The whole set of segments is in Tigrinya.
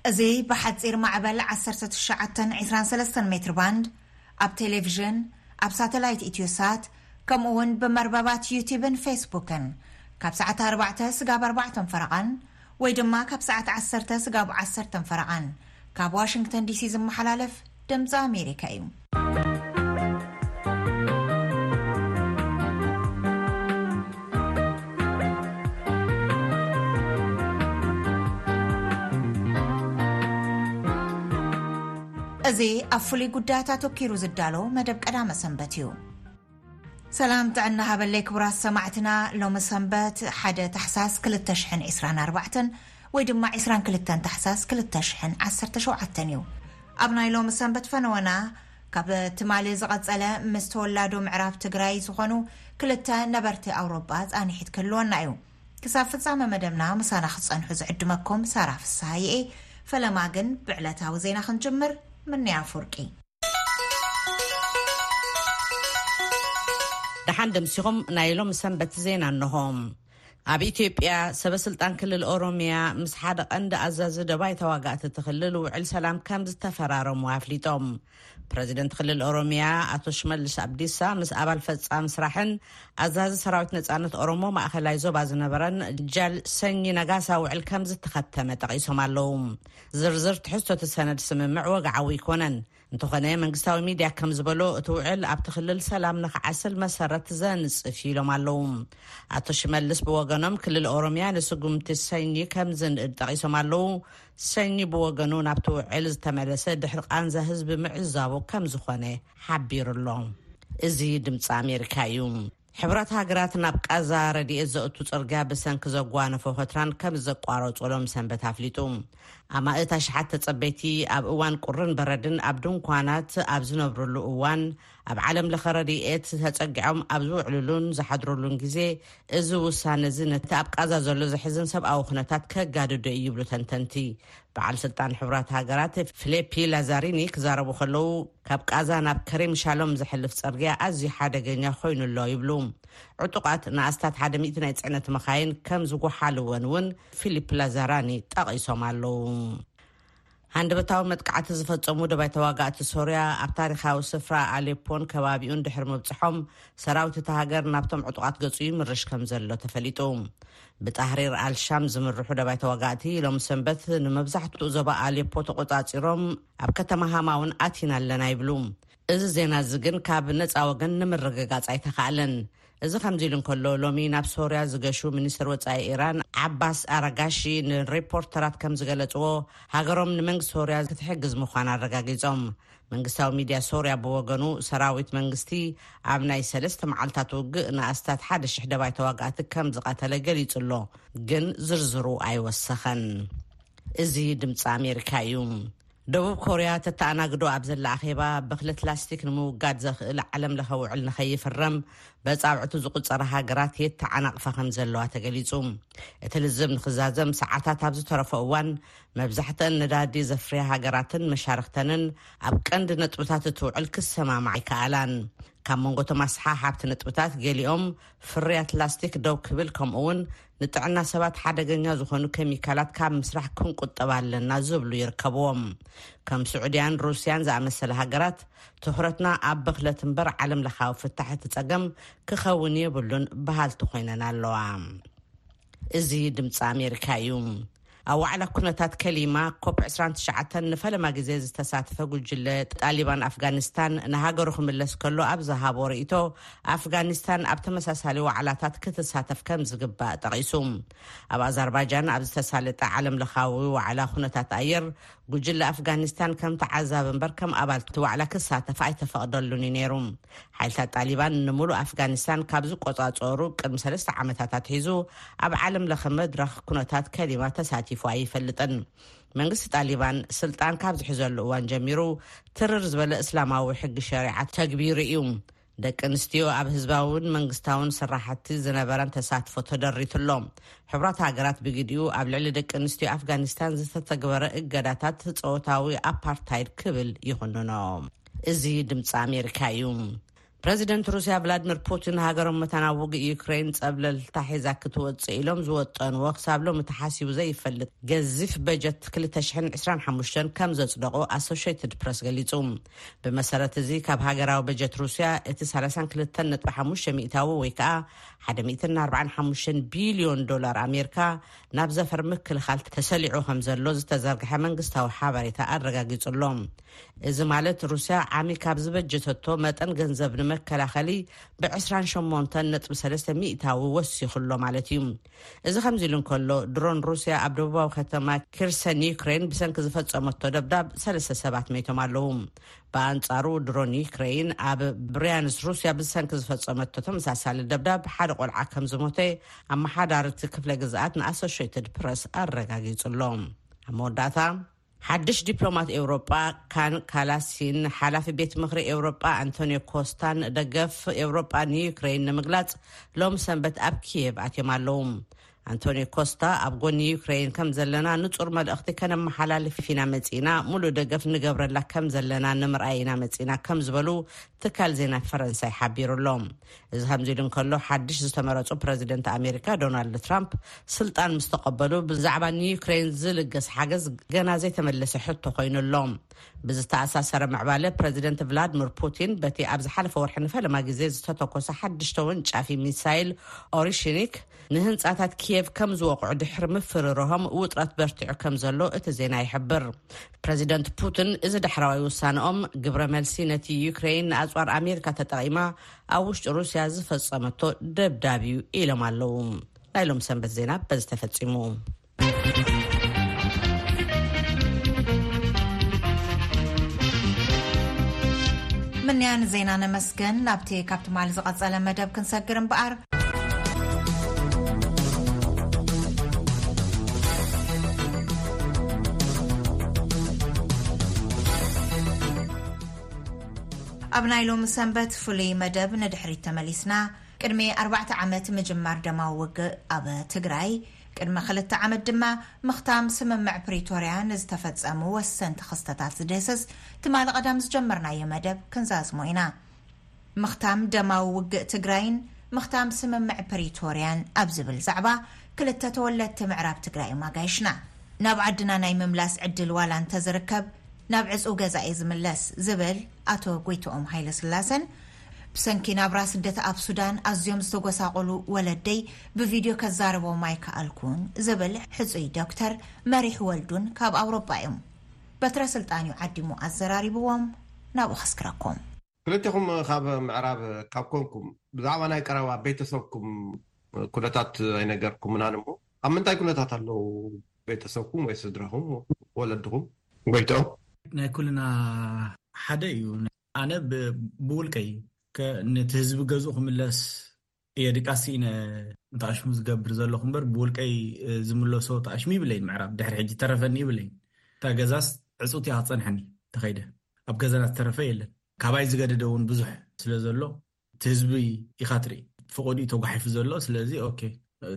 እዚ ብሓጺር ማዕበል ዓሰርተ ትሽዓተ ዕስራን ሰለስተን ሜትር ባንድ፣ ኣብ ቴሌቪዥን፣ ኣብ ሳተላይት ኢትዮሳት፣ ከምኡ እውን ብመርበባት ዩቲብን ፌስቡክን ካብ ሰዓት ኣርባዕተ ስጋብ ኣርባዕተን ፈረቓን ወይ ድማ ካብ ሰዓት ዓሰርተ ስጋብ ዓሰርተን ፈረቓን ካብ ዋሽንግተን ዲሲ ዝመሓላለፍ ድምፂ ኣሜሪካ እዩ። እዚ ኣብ ፍሉይ ጉዳያት ኣተኪሩ ዝዳሎ መደብ ቀዳመ ሰንበት እዩ። ሰላም ጥዕና ሃበለይ ክቡራት ሰማዕትና። ሎሚ ሰንበት ሓደ ታሕሳስ ክልተ ሽሕን ዕስራን ኣርባዕተን ወይ ድማ ዕስራን ክልተን ታሕሳስ ክልተ ሽሕን ዓሰርተ ሸውዓተን እዩ። ኣብ ናይ ሎሚ ሰንበት ፈነወና ካብ ትማሊ ዝቐጸለ ምስ ተወላዶ ምዕራብ ትግራይ ዝኾኑ ክልተ ነበርቲ ኣውሮጳ ጻኒሒት ክህልወና እዩ። ክሳብ ፍጻመ መደብና ምሳና ክትጸንሑ ዝዕድመኩም ሳራ ፍስሃየ እየ። ፈለማ ግን ብዕለታዊ ዜና ክንጅምር ምንያ ፍርቂ። ደሓን ደምሲኹም ናይ ሎም ሰንበት ዜና እንሆ። ኣብ ኢትዮጵያ ሰበ ስልጣን ክልል ኦሮሚያ ምስ ሓደ ቀንዲ ኣዛዚ ደባይ ተዋጋእቲ እቲ ክልል ውዕል ሰላም ከም ዝተፈራረሙ ኣፍሊጦም። ፕረዚደንት ክልል ኦሮሚያ ኣቶ ሽመልስ ኣብዲሳ ምስ ኣባል ፈጻሚ ስራሕን ኣዛዚ ሰራዊት ነጻነት ኦሮሞ ማእኸላይ ዞባ ዝነበረን ጃል ሰኚ ነጋሳ ውዕል ከም ዝተኸተመ ጠቒሶም ኣለዉ። ዝርዝር ትሕዝቶ እቲ ሰነድ ስምምዕ ወግዓዊ ኣይኮነን። እንተኾነ መንግስታዊ ሚድያ ከም ዝበሎ እቲ ውዕል ኣብቲ ክልል ሰላም ንኽዓስል መሰረት ዘንጽፍ እዩ ኢሎም ኣለዉ። ኣቶ ሽመልስ ብወገኖም ክልል ኦሮሚያ ንስጉምቲ ሰኚ ከም ዝንእድ ጠቒሶም ኣለዉ። ሰኚ ብወገኑ ናብቲ ውዕል ዝተመለሰ ድሕሪ ቃንዛ ህዝቢ ምዕዛቡ ከም ዝኾነ ሓቢሩ ኣሎ። እዚ ድምፂ ኣሜሪካ እዩ። ሕብረት ሃገራት ናብ ቃዛ ረድኤት ዘእቱ ጽርግያ ብሰንኪ ዘጓነፎ ኸትራን ከም ዘቋረጹ ሎም ሰንበት ኣፍሊጡ። ኣማእት ኣሽሓት ተጸበይቲ ኣብ እዋን ቁርን በረድን ኣብ ድንኳናት ኣብ ዝነብሩሉ እዋን ኣብ ዓለም ለኸ ረድኤት ተጸጊዖም ኣብ ዝውዕሉሉን ዝሓድሩሉን ግዜ እዚ ውሳነ እዚ ነቲ ኣብ ቃዛ ዘሎ ዘሕዝን ሰብኣዊ ኩነታት ከጋድዶ እዩ ይብሉ ተንተንቲ። በዓል ስልጣን ሕቡራት ሃገራት ፊሊፒ ላዛሪኒ ክዛረቡ ከለዉ፣ ካብ ቃዛ ናብ ከሪም ሻሎም ዝሕልፍ ጽርግያ ኣዝዩ ሓደገኛ ኮይኑ ኣሎ ይብሉ። ዕጡቓት ንኣስታት ሓደ ሚእቲ ናይ ጽዕነት መኻይን ከም ዝጎሓልወን እውን ፊሊፕ ላዛራኒ ጠቒሶም ኣለዉ። ሃንደበታዊ መጥቃዕቲ ዝፈጸሙ ደባይ ተዋጋእቲ ሶርያ ኣብ ታሪኻዊ ስፍራ ኣሌፖን ከባቢኡን ድሕሪ ምብጽሖም፣ ሰራዊት እታ ሃገር ናብቶም ዕጡቓት ገጹ ይምርሽ ከም ዘሎ ተፈሊጡ። ብጣህሪር ኣልሻም ዝምርሑ ደባይ ተዋጋእቲ ሎም ሰንበት ንመብዛሕትኡ ዞባ ኣሌፖ ተቆጻጺሮም ኣብ ከተማ ሃማ እውን ኣቲና ኣለና ይብሉ። እዚ ዜና እዚ ግን ካብ ነጻ ወገን ንምርግጋጽ ኣይተኻእለን። እዚ ከምዚ ኢሉ እንከሎ፣ ሎሚ ናብ ሶርያ ዝገሹ ሚኒስትር ወጻኢ ኢራን ዓባስ ኣራጋሺ ንሪፖርተራት ከም ዝገለጽዎ፣ ሃገሮም ንመንግስቲ ሶርያ ክትሕግዝ ምዃና ኣረጋጊጾም። መንግስታዊ ሚድያ ሶርያ ብወገኑ፣ ሰራዊት መንግስቲ ኣብ ናይ ሰለስተ መዓልታት ውግእ ንኣስታት ሓደ ሽሕ ደባይ ተዋጋእቲ ከም ዝቐተለ ገሊጹ ኣሎ፣ ግን ዝርዝሩ ኣይወሰኸን። እዚ ድምፂ ኣሜሪካ እዩ። ደቡብ ኮርያ ተተኣናግዶ ኣብ ዘላ ኣኼባ፣ ብኽለት ላስቲክ ንምውጋድ ዘኽእል ዓለም ለኸ ውዕል ንኸይፍረም በጻብዕቱ ዝቑጸራ ሃገራት የተዓናቕፋ ከም ዘለዋ ተገሊጹ። እቲ ልዝብ ንኽዛዘም ሰዓታት ኣብ ዝተረፎ እዋን፣ መብዛሕትአን ነዳዲ ዘፍርያ ሃገራትን መሻርኽተንን ኣብ ቀንዲ ነጥብታት እቲ ውዕል ክሰማማዓ ኣይከኣላን። ካብ መንጎ እቶም ኣስሓሓብቲ ነጥብታት፣ ገሊኦም ፍርያት ላስቲክ ደው ክብል፣ ከምኡ እውን ንጥዕና ሰባት ሓደገኛ ዝኾኑ ኬሚካላት ካብ ምስራሕ ክንቁጠብ ኣለና ዝብሉ ይርከብዎም። ከም ስዑድያን ሩስያን ዝኣመሰለ ሃገራት፣ ትኹረትና ኣብ ብኽለት እምበር ዓለም ለኻዊ ፍታሕ እቲ ጸገም ክኸውን የብሉን በሃልቲ ኮይነን ኣለዋ። እዚ ድምፂ ኣሜሪካ እዩ። ኣብ ዋዕላ ኩነታት ከሊማ ኮፕ ዕስራን ትሽዓተን ንፈለማ ግዜ ዝተሳተፈ ጉጅለ ጣሊባን ኣፍጋኒስታን ንሃገሩ ክምለስ ከሎ ኣብ ዝሃቦ ርእይቶ፣ ኣፍጋኒስታን ኣብ ተመሳሳሊ ዋዕላታት ክትሳተፍ ከም ዝግባእ ጠቒሱ። ኣብ ኣዘርባይጃን ኣብ ዝተሳለጠ ዓለም ለኻዊ ዋዕላ ኩነታት ኣየር፣ ጉጅለ ኣፍጋኒስታን ከም ተዓዛቢ እምበር ከም ኣባል እቲ ዋዕላ ክሳተፍ ኣይተፈቕደሉን እዩ ነይሩ። ሓይልታት ጣሊባን ንምሉእ ኣፍጋኒስታን ካብ ዝቆጻጸሩ ቅድሚ ሰለስተ ዓመታት ኣትሒዙ፣ ኣብ ዓለም ለኸ መድረኽ ኩነታት ከሊማ ተሳቲፉ ኣይፈልጥን። መንግስቲ ጣሊባን ስልጣን ካብ ዝሕዘሉ እዋን ጀሚሩ፣ ትርር ዝበለ እስላማዊ ሕጊ ሸሪዓ ተግቢሩ እዩ። ደቂ ኣንስትዮ ኣብ ህዝባውን መንግስታውን ስራሕቲ ዝነበረን ተሳትፎ ተደሪቱ ኣሎ። ሕቡራት ሃገራት ብግዲኡ ኣብ ልዕሊ ደቂ ኣንስትዮ ኣፍጋኒስታን ዝተተግበረ እገዳታት ጾታዊ ኣፓርታይድ ክብል ይኹንኖ። እዚ ድምፂ ኣሜሪካ እዩ። ፕረዚደንት ሩስያ ቭላድሚር ፑቲን፣ ሃገሮም መታን ኣብ ውግእ ዩክሬን ጸብለልታ ሒዛ ክትወጽእ ኢሎም ዝወጠንዎ ክሳብ ሎሚ ተሓሲቡ ዘይፈልጥ ገዚፍ በጀት ክልተ ሽሕን ዕስራን ሓሙሽተን ከም ዘጽደቑ ኣሶሽየትድ ፕረስ ገሊጹ። ብመሰረት እዚ፣ ካብ ሃገራዊ በጀት ሩስያ እቲ ሰላሳን ክልተን ነጥቢ ሓሙሽተ ሚእታዊ ወይ ከኣ ሓደ ሚእትን ኣርባዓን ሓሙሽተን ቢልዮን ዶላር ኣሜሪካ ናብ ዘፈር ምክልኻል ተሰሊዑ ከም ዘሎ ዝተዘርግሐ መንግስታዊ ሓበሬታ ኣረጋጊጹ ኣሎ። እዚ ማለት፣ ሩስያ ዓሚ ካብ ዝበጀተቶ መጠን ገንዘብ ንመከላኸሊ ብ ዕስራን ሸሞንተን ነጥቢ ሰለስተ ሚእታዊ ወሲኹ ኣሎ ማለት እዩ። እዚ ከምዚ ኢሉ እንከሎ፣ ድሮን ሩስያ ኣብ ደቡባዊ ከተማ ኪርሰን ዩክሬን ብሰንኪ ዝፈጸመቶ ደብዳብ ሰለስተ ሰባት መይቶም ኣለዉ። ብኣንጻሩ፣ ድሮን ዩክሬን ኣብ ብርያንስ ሩስያ ብሰንኪ ዝፈጸመቶ ተመሳሳሊ ደብዳብ ሓደ ቆልዓ ከም ዝሞተ ኣመሓዳሪ እቲ ክፍለ ግዝኣት ንኣሶሽየትድ ፕረስ ኣረጋጊጹ ኣሎ። ኣብ መወዳእታ፣ ሓድሽ ዲፕሎማት ኤውሮጳ ካን ካላሲን፣ ሓላፊ ቤት ምኽሪ ኤውሮጳ ኣንቶኒዮ ኮስታን ደገፍ ኤውሮጳ ንዩክሬን ንምግላጽ ሎም ሰንበት ኣብ ኪየቭ ኣትዮም ኣለዉ። ኣንቶኒዮ ኮስታ፣ ኣብ ጎኒ ዩክሬን ከም ዘለና ንጹር መልእኽቲ ከነመሓላልፍ ኢና መጺና፣ ሙሉእ ደገፍ ንገብረላ ከም ዘለና ንምርኣይ ኢና መጺና ከም ዝበሉ ትካል ዜና ፈረንሳይ ሓቢሩ ኣሎ። እዚ ከምዚ ኢሉ እንከሎ፣ ሓድሽ ዝተመረጹ ፕረዚደንት ኣሜሪካ ዶናልድ ትራምፕ ስልጣን ምስ ተቐበሉ፣ ብዛዕባ ንዩክሬን ዝልገስ ሓገዝ ገና ዘይተመለሰ ሕቶ ኮይኑ ኣሎ። ብዝተኣሳሰረ ምዕባለ፣ ፕረዚደንት ቭላድሚር ፑቲን በቲ ኣብ ዝሓለፈ ወርሒ ንፈለማ ግዜ ዝተተኮሰ ሓድሽ ተወንጫፊ ሚሳይል ኦሪሽኒክ ንህንጻታት ኪየቭ ከም ዝወቕዑ ድሕሪ ምፍርርሆም፣ ውጥረት በርቲዑ ከም ዘሎ እቲ ዜና ይሕብር። ፕረዚደንት ፑቲን፣ እዚ ዳሕረዋይ ውሳነኦም ግብረ መልሲ ነቲ ዩክሬን ንኣጽዋር ኣሜሪካ ተጠቒማ ኣብ ውሽጢ ሩስያ ዝፈጸመቶ ደብዳብ እዩ ኢሎም ኣለዉ። ናይ ሎም ሰንበት ዜና በዚ ተፈጺሙ። ምንያን ዜና ነመስገን። ናብቲ ካብ ትማሊ ዝቐጸለ መደብ ክንሰግር እምበኣር፣ ኣብ ናይ ሎሚ ሰንበት ፍሉይ መደብ ንድሕሪት ተመሊስና፣ ቅድሚ ኣርባዕተ ዓመት ምጅማር ደማዊ ውግእ ኣብ ትግራይ፣ ቅድሚ ክልተ ዓመት ድማ ምኽታም ስምምዕ ፕሪቶርያ ንዝተፈጸሙ ወሰንቲ ክስተታት ዝድህስስ ትማሊ ቀዳም ዝጀመርናዮ መደብ ክንዛዝሞ ኢና። ምኽታም ደማዊ ውግእ ትግራይን ምኽታም ስምምዕ ፕሪቶርያን ኣብ ዝብል ዛዕባ፣ ክልተ ተወለድቲ ምዕራብ ትግራይ እዮም ኣጋይሽና። ናብ ዓድና ናይ ምምላስ ዕድል ዋላ እንተዝርከብ፣ ናብ ዕጹው ገዛ እየ ዝምለስ ዝብል ኣቶ ጎይትኦም ሃይለስላሰን፣ ብሰንኪ ናብራ ስደት ኣብ ሱዳን ኣዝዮም ዝተጎሳቆሉ ወለደይ ብቪድዮ ከዛርቦም ኣይከኣልኩን ዝብል ሕጹይ ዶክተር መሪሕ ወልዱን ካብ ኣውሮጳ እዮም። በትረ ስልጣን እዩ ዓዲሙ ኣዘራሪብዎም። ናብኡ ከስክረኩም። ክልቴኹም ካብ ምዕራብ ካብ ኮንኩም፣ ብዛዕባ ናይ ቀረባ ቤተሰብኩም ኩነታት ኣይነገርኩምናን እሞ፣ ኣብ ምንታይ ኩነታት ኣለዉ ቤተሰብኩም ወይ ስድራኹም፣ ወለድኹም? ጎይትኦም? ናይ ኩልና ሓደ እዩ። ኣነ ብ-፣ ብውልቀይ ከ-፣ ነቲ ህዝቢ ገዝኡ ክምለስ እየ ድቃስ ኢነ ንጣሽሙ ዝገብር ዘለኹ እምበር፣ ብውልቀይ፣ እ፣ ዝምለሶ ጣሽሙ ይብለይን፣ ምዕራብ ድሕሪ ሕጂ ተረፈኒ ይብለይን። እታ ገዛስ ዕጹት እያ ክትጸንሐኒ፣ ተኸይደ ኣብ ገዛና ዝተረፈ የለን። ካባይ ዝገደደ እውን ብዙሕ ስለ ዘሎ፣ እቲ ህዝቢ ኢኻ ትርኢ፣ ፈቐድኡ ተጓሒፉ ዘሎ። ስለዚ፣ ኦኬ፣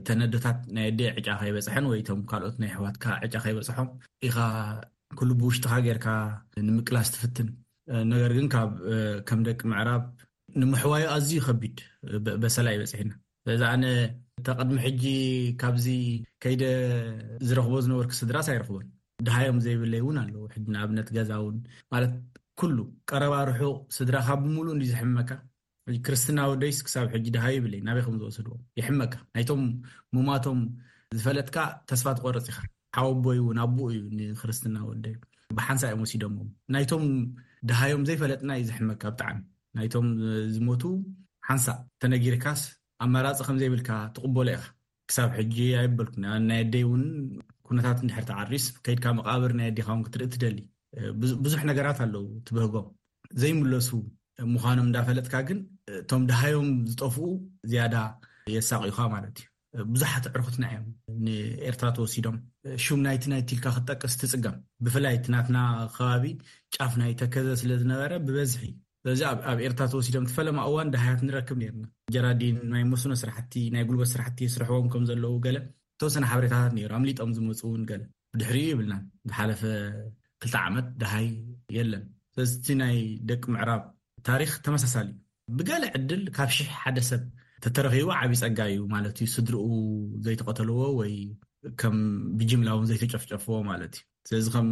ተነዶታት ናይ ኣደ ዕጫ ከይበጽሐን ወይ እቶም ካልኦት ናይ ኣሕዋትካ ዕጫ ከይበጽሖም ኢኻ ኩሉ ብውሽጥኻ ጌርካ ንምቅላስ ትፍትን። ነገር ግን ካብ፣ ከም ደቂ ምዕራብ ንምሕዋዩ ኣዝዩ ከቢድ በ-፣ በሰላ እዩ በጺሕና። ስለዚ ኣነ፣ እታ ቅድሚ ሕጂ ካብዚ ከይደ ዝረኽቦ ዝነበርኩ ስድራስ ኣይረኽቦን። ድሃዮም ዘይብለይ እውን ኣለዉ። ሕጂ ንኣብነት ገዛ እውን፣ ማለት፣ ኩሉ ቀረባ ርሑቕ ስድራኻ ብምሉእ እንዲ ዝሕመካ። ሕጂ ክርስትና ወደይስ ክሳብ ሕጂ ድሃዩ ይብለይ፣ ናበይ ከም ዝወሰድዎ ይሕመካ። ናይቶም ሙማቶም ዝፈለጥካ ተስፋ ትቆርጽ ኢኻ። ሓወቦይ እውን ኣቦኡ እዩ ንክርስትና ወደይ። ብሓንሳእ እዮም ወሲዶምዎም። ናይቶም ድሃዮም ዘይፈለጥና እዩ ዝሕመካ ብጣዕሚ። ናይቶም ዝሞቱ ሓንሳእ ተነጊርካስ ኣማራጺ ከም ዘይብልካ ትቕበሎ ኢኻ። ክሳብ ሕጂ ኣይበልኩን። ናይ ኣደይ እውን ኩነታት እንድሕር ተዓሪስ ከይድካ መቃብር ናይ ኣዴኻ እውን ክትርኢ ትደሊ። ብዙ-፣ ብዙሕ ነገራት ኣለዉ ትብህጎም። ዘይምለሱ ምዃኖም እንዳፈለጥካ ግን፣ እቶም ድሃዮም ዝጠፍኡ ዝያዳ የሳቕዩኻ ማለት እዩ። ብዙሓት ኣዕሩኽትና እዮም ንኤርትራ ተወሲዶም። ሹም ናይቲ ናይቲ ኢልካ ክትጠቅስ ትጽገም። ብፍላይ እቲ ናትና ከባቢ ጫፍ ናይ ተከዘ ስለ ዝነበረ ብበዝሒ። ስለዚ ኣብ፣ ኣብ ኤርትራ ተወሲዶም እቲ ፈለማ እዋን ደሃያት ንረክብ ነይርና። ጀራዲን፣ ናይ መስኖ ስራሕቲ፣ ናይ ጉልበት ስራሕቲ ይስርሕዎም ከም ዘለዉ ገለ ተወሰነ ሓበሬታታት ነይሩ። ኣምሊጦም ዝመጹ እውን ገለ። ብድሕሪኡ ይብልናን። ዝሓለፈ ክልተ ዓመት ደሃይ የለን። ስለዚ እቲ ናይ ደቂ ምዕራብ ታሪኽ ተመሳሳሊ እዩ። ብገለ ዕድል ካብ ሽሕ ሓደ ሰብ ተተረኺቡ ዓብዪ ጸጋ እዩ ማለት እዩ። ስድርኡ ዘይተቐተልዎ ወይ ከም ብጅምላ እውን ዘይተጨፍጨፍዎ ማለት እዩ። ስለዚ ከም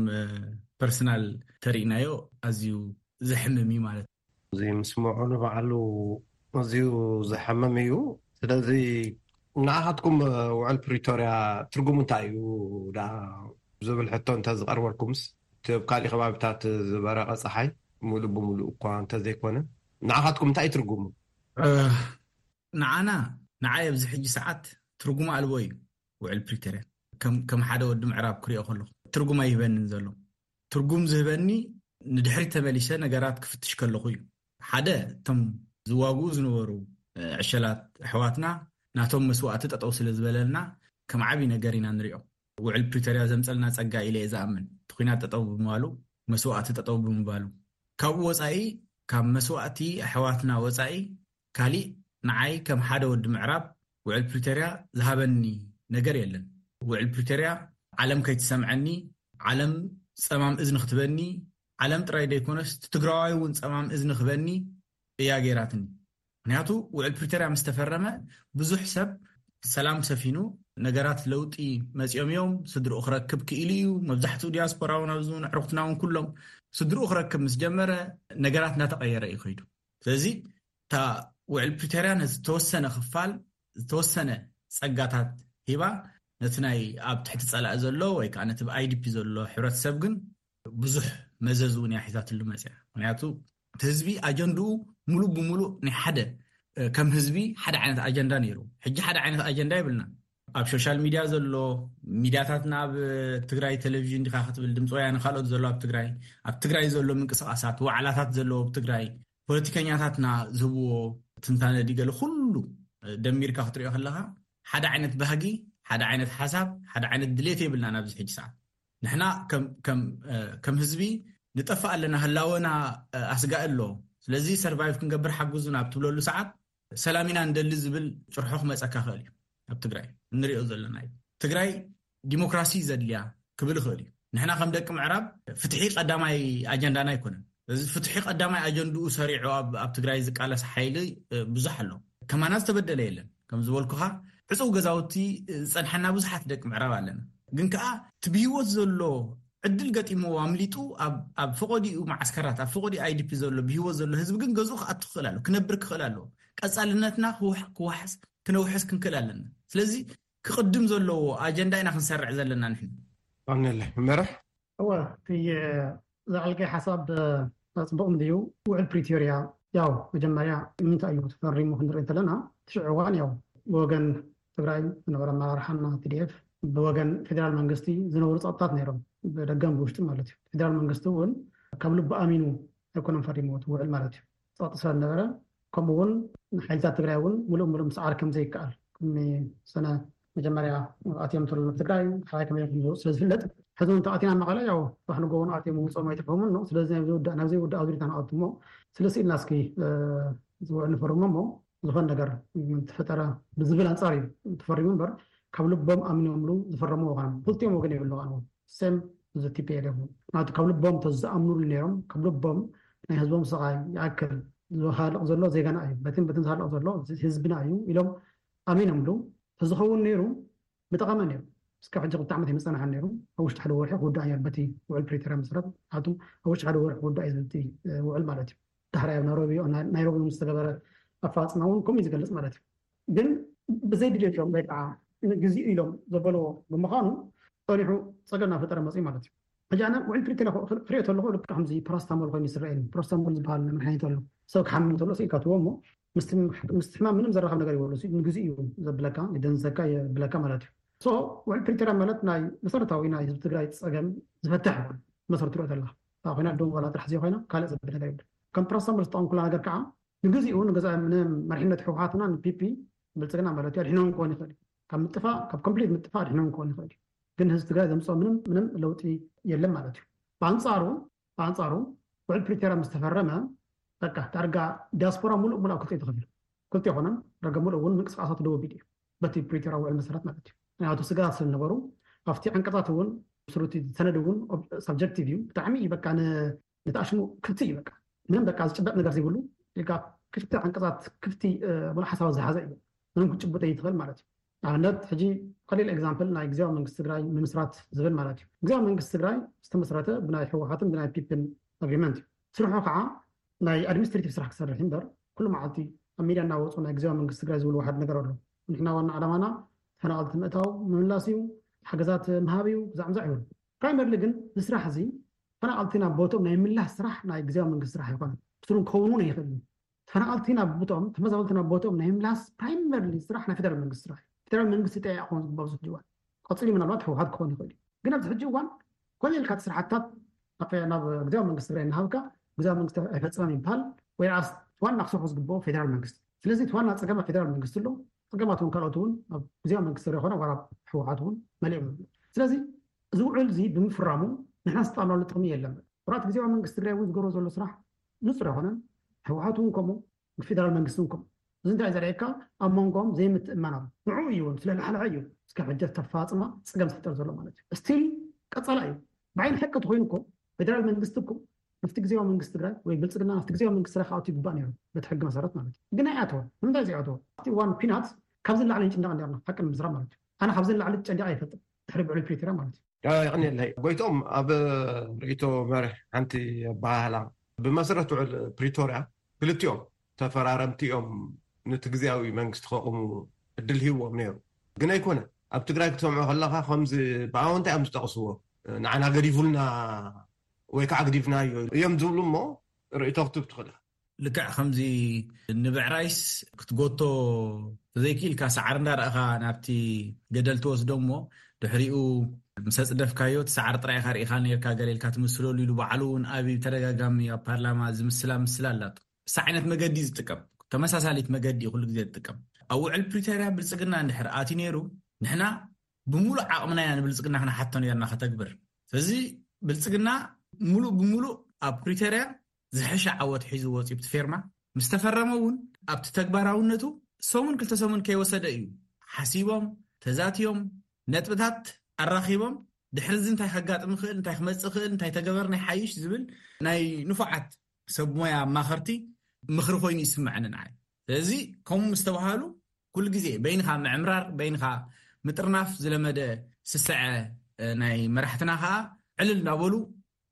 ፐርሰናል ተሪእናዮ ኣዝዩ ዘሕምም እዩ ማለት እዩ። እዚ ምስምዑ ንባዕሉ ኣዝዩ ዘሕምም እዩ። ስለዚ ንዓኻትኩም ውዕል ፕሪቶርያ ትርጉሙ እንታይ እዩ ዳ ዝብል ሕቶ እንተ ዝቐርበልኩምስ እቲ ኣብ ካሊእ ከባቢታት ዝበረቐ ፀሓይ ሙሉእ ብሙሉእ እኳ እንተዘይኮነ ንዓኻትኩም እንታይ እዩ ትርጉሙ? ንዓና ንዓይ ኣብዚ ሕጂ ሰዓት ትርጉም ኣልቦ እዩ ውዕል ፕሪቶርያ። ከም ሓደ ወዲ ምዕራብ ክሪኦ ከለኹ ትርጉም ኣይህበንን ዘሎ። ትርጉም ዝህበኒ ንድሕሪት ተመሊሰ ነገራት ክፍትሽ ከለኹ እዩ። ሓደ እቶም ዝዋግኡ ዝነበሩ ዕሸላት ኣሕዋትና ናቶም መስዋእቲ ጠጠው ስለ ዝበለልና ከም ዓብዪ ነገር ኢና ንሪኦ። ውዕል ፕሪቶርያ ዘምፀልና ፀጋ ኢለ እየ ዝኣምን። እቲ ኲናት ጠጠው ብምባሉ፣ መስዋእቲ ጠጠው ብምባሉ፣ ካብኡ ወፃኢ፣ ካብ መስዋእቲ ኣሕዋትና ወፃኢ ካሊእ ንዓይ ከም ሓደ ወዲ ምዕራብ ውዕል ፕሪቶርያ ዝሃበኒ ነገር የለን። ውዕል ፕሪቶርያ ዓለም ከይትሰምዐኒ፣ ዓለም ፀማም እዝኒ ክትበኒ፣ ዓለም ጥራይ ዘይኮነስ ትግራዋይ እውን ፀማም እዝኒ ክበኒ እያ ገይራትኒ። ምክንያቱ ውዕል ፕሪቶርያ ምስ ተፈረመ ብዙሕ ሰብ ሰላም ሰፊኑ፣ ነገራት ለውጢ መፂኦም እዮም፣ ስድርኡ ክረክብ ክኢሉ እዩ። መብዛሕትኡ ዲያስፖራ እውን ኣብዚ እውን ኣዕሩኽትና እውን ኩሎም ስድርኡ ክረክብ ምስ ጀመረ ነገራት እናተቐየረ እዩ ከይዱ። ስለዚ እታ ውዕል ፕሪቶርያ ነቲ ዝተወሰነ ክፋል ዝተወሰነ ፀጋታት ሂባ ነቲ ናይ ኣብ ትሕቲ ፀላኢ ዘሎ ወይ ከዓ ነቲ ብ ኣይዲፒ ዘሎ ሕብረተሰብ ግን ብዙሕ መዘዝ እውን እያ ሒዛትሉ መፅያ። ምክንያቱ እቲ ህዝቢ ኣጀንድኡ ሙሉእ ብሙሉእ ናይ ሓደ ከም ህዝቢ ሓደ ዓይነት ኣጀንዳ ነይሩ። ሕጂ ሓደ ዓይነት ኣጀንዳ የብልና። ኣብ ሶሻል ሚድያ ዘሎ ሚድያታትና ኣብ ትግራይ ቴሌቪዥን ዲካ ክትብል ድምፂ ወያነ ካልኦት ዘሎ ኣብ ትግራይ ኣብ ትግራይ ዘሎ ምንቅስቃሳት ዋዕላታት ዘለዎ ኣብ ትግራይ ፖለቲከኛታትና ዝህብዎ ትንታነ ዲገለ ኩሉ ደሚርካ ክትሪኦ ከለካ ሓደ ዓይነት ባህጊ ሓደ ዓይነት ሓሳብ ሓደ ዓይነት ድሌት የብልና ናብዚ ሕጂ ሰዓት ንሕና ከም ህዝቢ ንጠፍእ ኣለና ህላወና ኣስጋእ ኣሎ ስለዚ ሰርቫይቭ ክንገብር ሓግዙና ኣብ ትብለሉ ሰዓት ሰላም ኢና ንደሊ ዝብል ጭርሖ ክመፀካ ክእል እዩ ኣብ ትግራይ እንሪኦ ዘለና እዩ ትግራይ ዲሞክራሲ ዘድልያ ክብል ይኽእል እዩ ንሕና ከም ደቂ ምዕራብ ፍትሒ ቀዳማይ ኣጀንዳና ኣይኮነን እዚ ፍትሒ ቀዳማይ ኣጀንድኡ ሰሪዑ ኣብ ትግራይ ዝቃለስ ሓይሊ ብዙሕ ኣሎ ከማና ዝተበደለ የለን ከም ዝበልኩኻ ዕፅው ገዛውቲ ዝፀንሐና ብዙሓት ደቂ ምዕራብ ኣለና ግን ከዓ እቲ ብሂወት ዘሎ ዕድል ገጢምዎ ኣምሊጡ ኣብ ፈቆዲኡ መዓስከራት ኣብ ፈቆዲኡ ኣይዲፒ ዘሎ ብሂወት ዘሎ ህዝቢ ግን ገዝኡ ክኣቱ ክኽእል ኣሎ ክነብር ክኽእል ኣለዎ ቀፃልነትና ክውሕስ ክነውሕስ ክንክእል ኣለና ስለዚ ክቕድም ዘለዎ ኣጀንዳ ኢና ክንሰርዕ ዘለና ንሕና። ኣነለ መርሕ እወ እቲ ዘዕልቀይ ሓሳብ ፅቡቕ እንድዩ ውዕል ፕሪቶርያ ያው መጀመርያ ምንታይ እዩ ተፈሪሙ ክንርኢ እንተለና ትሽዑ እዋን ያው ብወገን ትግራይ ዝነበረ ኣመራርሓና ቲዲኤፍ ብወገን ፌደራል መንግስቲ ዝነበሩ ፀጥታት ነይሮም ብደገን ብውሽጢ ማለት እዩ ፌደራል መንግስቲ እውን ካብ ልቡ ኣሚኑ ኣይኮነን ፈሪምዎ እቲ ውዕል ማለት እዩ ፀቕጢ ስለ ዝነበረ ከምኡ እውን ሓይልታት ትግራይ እውን ሙሉእ ሙሉእ ምስዓር ከም ዘይከኣል ቅድሚ ሰነ መጀመርያ ኣትዮም ተሎ ናብ ትግራይ ሓራይ ከመይ ከም ዝወፁ ስለ ዝፍለጥ ሕዚ እውን ተኣቲና መቐለ ያው ራሕንጎ እውን ኣትዮም ውፅኦም ኣይትርፎምን ነው ስለዚ ናብ ዘይውዳእ ናብ ዘይውዳእ ኣዙሪታ ንኣቱ እሞ ስለ ስኢልና እስኪ ዝውዕል ንፈርሞ እሞ ዝኾን ነገር ተፈጠረ ብዝብል ኣንፃር እዩ ተፈሪሙ እምበር ካብ ልቦም ኣሚኖምሉ ዝፈረሙ ወገኖም ክልቲኦም ወገን የብሉ ቃንዎ ሴም እዚ ቲፒኤልኤፍ ናቱ ካብ ልቦም ተዝኣምኑሉ ነይሮም ካብ ልቦም ናይ ህዝቦም ስቓይ ይኣክል ዝሃልቕ ዘሎ ዜጋና እዩ በትን በትን ዝሃልቕ ዘሎ ህዝብና እዩ ኢሎም ኣሚኖምሉ ተዝኸውን ነይሩ ምጠቐመ ነይሩ እስካብ ሕጂ ክልተ ዓመት ኣይምፀናሓን ነይሩ ኣብ ውሽጢ ሓደ ወርሒ ክውዳእ ነይሩ በቲ ውዕል ፕሪቶርያ መሰረት ምክንያቱ ኣብ ውሽጢ ሓደ ወርሒ ክውዳእ እዩ ዝብል ውዕል ማለት እዩ ዳሕራይ ኣብ ናይሮቢ ናይሮቢ ዝተገበረ ኣፈፃፅማ እውን ከምኡ ዝገልፅ ማለት እዩ ግን ብዘይ ድሌቶም ወይ ከዓ ንግዜኡ ኢሎም ዘበልዎ ብምዃኑ ፀኒሑ ፀገም እናፈጠረ መፅኡ ማለት እዩ ሕጂ ኣነ ውዕል ፕሪቶርያ ክሪኦ ከለኹ ልክዕ ከምዚ ፓራስታሞል ኮይኑ ይስረአኒ ፓራስታሞል ዝበሃል መድሓኒት ኣሎ ሰብ ክሓምም ከሎ ስኢልካ ትቦ እሞ ምስቲ ሕማም ምንም ዘራኸብ ነገር ይበሉ ንግዜኡ እዩ ዘብለካ የደንዘካ የብለካ ማለት እዩ ሶ ውዕል ፕሪቶርያ ማለት ናይ መሰረታዊ ናይ ህዝቢ ትግራይ ፀገም ዝፈትሕ መሰረቱ ሪኦ ተላ ኮይና ደንጎላ ጥራሕ ዘይኮይና ካልእ ዘብል ነገር የብሉ ከም ፓራስታሞል ዝጠቐምኩላ ነገር ከዓ ንግዜኡ ንገዛ ንመሪሕነት ህወሓትና ንፒፒ ብልፅግና ማለት እዩ ኣድሕኖም ክኾን ይኽእል እዩ ካብ ምጥፋእ ካብ ኮምፕሊት ምጥፋእ ኣድሕኖም ክኾን ይኽእል እዩ ግን ህዝቢ ትግራይ ዘምፅኦ ምንም ምንም ለውጢ የለን ማለት እዩ ብኣንፃሩ ብኣንፃሩ ውዕል ፕሪቶርያ ምስ ተፈረመ በቃ ዳርጋ ዲያስፖራ ሙሉእ ሙሉእ ኣብ ክልተ ተኸፊሉ ክልተ ይኾነን ዳርጋ ሙሉእ እውን ምንቅስቃሳቱ ደው ኣቢሉ እዩ በቲ ፕሪቶርያ ውዕል መሰረት ማለት እዩ ምክንያቱ ስጋት ስለዝነበሩ ኣብቲ ዓንቀፃት እውን ስሩቲ ሰነድ እውን ሳብጀክቲቭ እዩ ብጣዕሚ እዩ በቃ ንተኣሽሙ ክብቲ እዩ በቃ ምንም በቃ ዝጭበጥ ነገር ዘይብሉ ኢልካ ክልተ ዓንቀፃት ክፍቲ ሙሉ ሓሳባት ዝሓዘ እዩ። ምንም ክጭብጠ ይትኽእል ማለት እዩ። ኣብነት ሕጂ ቀሊል ኤግዛምፕል ናይ ግዜያዊ መንግስቲ ትግራይ ምምስራት ዝብል ማለት እዩ። ግዜያዊ መንግስቲ ትግራይ ዝተመስረተ ብናይ ህወሓትን ብናይ ፒፕን ኣግሪመንት እዩ። ስርሑ ከዓ ናይ ኣድሚኒስትሬቲቭ ስራሕ ክሰርሕ እምበር ኩሉ መዓልቲ ኣብ ሚድያ እናወፁ ናይ ግዜያዊ መንግስቲ ትግራይ ዝብሉ ዋሓድ ነገር ኣሎ። ንሕና ዋና ዓላማና ተፈናቐልቲ ምእታው ምምላስ እዩ፣ ሓገዛት ምሃብ እዩ፣ ዛዕምዛዕ ይብሉ። ፕራይመርሊ ግን ንስራሕ እዚ ተፈናቐልቲ ናብ ቦትኦም ናይ ምላስ ስራሕ ናይ ግዜያዊ መንግስቲ ስራሕ ኣይኮነን። ብትሩን ከውን እውን ኣይኽእል እዩ። ተፈናቐልቲ ናብ ቦትኦም፣ ተመዛበልቲ ናብ ቦትኦም ናይ ምላስ ፕራይመርሊ ስራሕ ናይ ፌደራል መንግስቲ ስራሕ እዩ። ፌደራል መንግስቲ ጠያ ክኾን ዝግባእ ብዙሕ ጅዋን ቀፂሉ ምናልባት ህወሓት ክኾን ይኽእል እዩ። ግን ኣብዚ ሕጂ እዋን ኮነ ኢልካ እቲ ስራሕታት ናብ ግዜያዊ መንግስቲ ትግራይ እናሃብካ ግዜያዊ መንግስቲ ኣይፈፀመን ይበሃል ወይ ስ ዋና ክሰርሑ ዝግብኦ ፌደራል መንግስቲ። ስለዚ እቲ ዋና ፀገም ኣብ ፌደራል መንግስቲ ኣሎ። ፀገማት እውን ካልኦት እውን ኣብ ግዜያዊ መንግስቲ ትግራይ ይኾነ ዋላ ህወሓት እውን መሊኦም። ስለዚ እዚ ውዕል እዚ ብምፍራሙ ንሕና ዝጣልናሉ ጥቕሚ የለን። ኩራት ግዜያዊ መንግስቲ ትግራይ እውን ዝገብሮ ዘሎ ስራሕ ንፁር ኣይኮነን። ህወሓት እውን ከምኡ፣ ፌደራል መንግስቲ እውን ከምኡ። እዚ እንታይ ዘርእየካ ኣብ መንጎም ዘይምትእማን ኣሎ። ንዕኡ እዩ እውን ስለላሕልሐ እዩ እስከ ሕጂ ተፋፅማ ፀገም ዝፍጠር ዘሎ ማለት እዩ። ስቲል ቀፃላ እዩ። ብዓይኒ ሕቂ ተኮይኑ እኮ ፌደራል መንግስቲ እኮ ናብቲ ግዜያዊ መንግስቲ ትግራይ ወይ ብልፅግና ናብቲ ግዜያዊ መንግስቲ ትግራይ ክኣቱ ይግባእ ነይሩ በቲ ሕጊ መሰረት ማለት እዩ። ግን ኣይኣተወን። ንምንታይ ዘይኣተወ? ኣብቲ እዋን ኲናት ካብዚ ንላዕሊ ንጭነቕ ነርና ሓቂ ንምዝራብ ማለት እዩ። ኣነ ካብዚ ንላዕሊ ጨንዲቕ ኣይፈልጥን ድሕሪ ብዕል ፕሪቶርያ ማለት እዩ። የቐንየለይ ጎይቶም፣ ኣብ ርእይቶ መርሕ ሓንቲ ኣበሃህላ ብመሰረት ውዕል ፕሪቶርያ ክልቲኦም ተፈራረምቲ እዮም ነቲ ግዜያዊ መንግስቲ ከቑሙ እድል ሂብዎም ነይሩ። ግን ኣይኮነ። ኣብ ትግራይ ክትሰምዖ ከለካ ከምዚ ብኣወንታ እዮም ዝጠቕስዎ። ንዓና ገዲፉልና ወይ ከዓ ግዲፍናዮ እዮም ዝብሉ እሞ ርእይቶ ክትብ ትኽእል። ልክዕ ከምዚ ንብዕራይስ ክትጎቶ ተዘይክኢልካ ሳዕሪ እንዳረእኻ ናብቲ ገደል ትወስዶ እሞ ድሕሪኡ ምስ ኣፅደፍካዮ እቲ ሳዕሪ ጥራይ ኢኻ ርኢኻ ነርካ ገለ ኢልካ ትምስለሉ ኢሉ ባዕሉ እውን ኣብ ተደጋጋሚ ኣብ ፓርላማ ዝምስላ ምስላ ኣላቶ። እሳ ዓይነት መገዲ ዝጥቀም ተመሳሳሊት መገዲ ኩሉ ግዜ ዝጥቀም ኣብ ውዕል ፕሪቶርያ ብልፅግና እንድሕር ኣትዩ ነይሩ ንሕና ብሙሉእ ዓቕምና ኢና ንብልፅግና ክነሓቶ ነርና ከተግብር። ስለዚ ብልፅግና ሙሉእ ብሙሉእ ኣብ ፕሪቶርያ ዝሕሸ ዓወት ሒዙ ወፂኡ ብቲ ፌርማ ምስ ተፈረመ እውን ኣብቲ ተግባራውነቱ ሰሙን ክልተ ሰሙን ከይወሰደ እዩ ሓሲቦም ተዛትዮም ነጥብታት ኣራኺቦም ድሕሪ እዚ እንታይ ከጋጥም ይኽእል እንታይ ክመፅእ ይኽእል እንታይ ተገበርና ይሓይሽ ዝብል ናይ ንፉዓት ሰብ ሞያ ኣማኸርቲ ምኽሪ ኮይኑ ይስምዐኒ ንዓይ። ስለዚ ከምኡ ምስ ተባሃሉ ኩሉ ግዜ በይንኻ ምዕምራር በይንኻ ምጥርናፍ ዝለመደ ስስዐ ናይ መራሕትና ከዓ ዕልል እናበሉ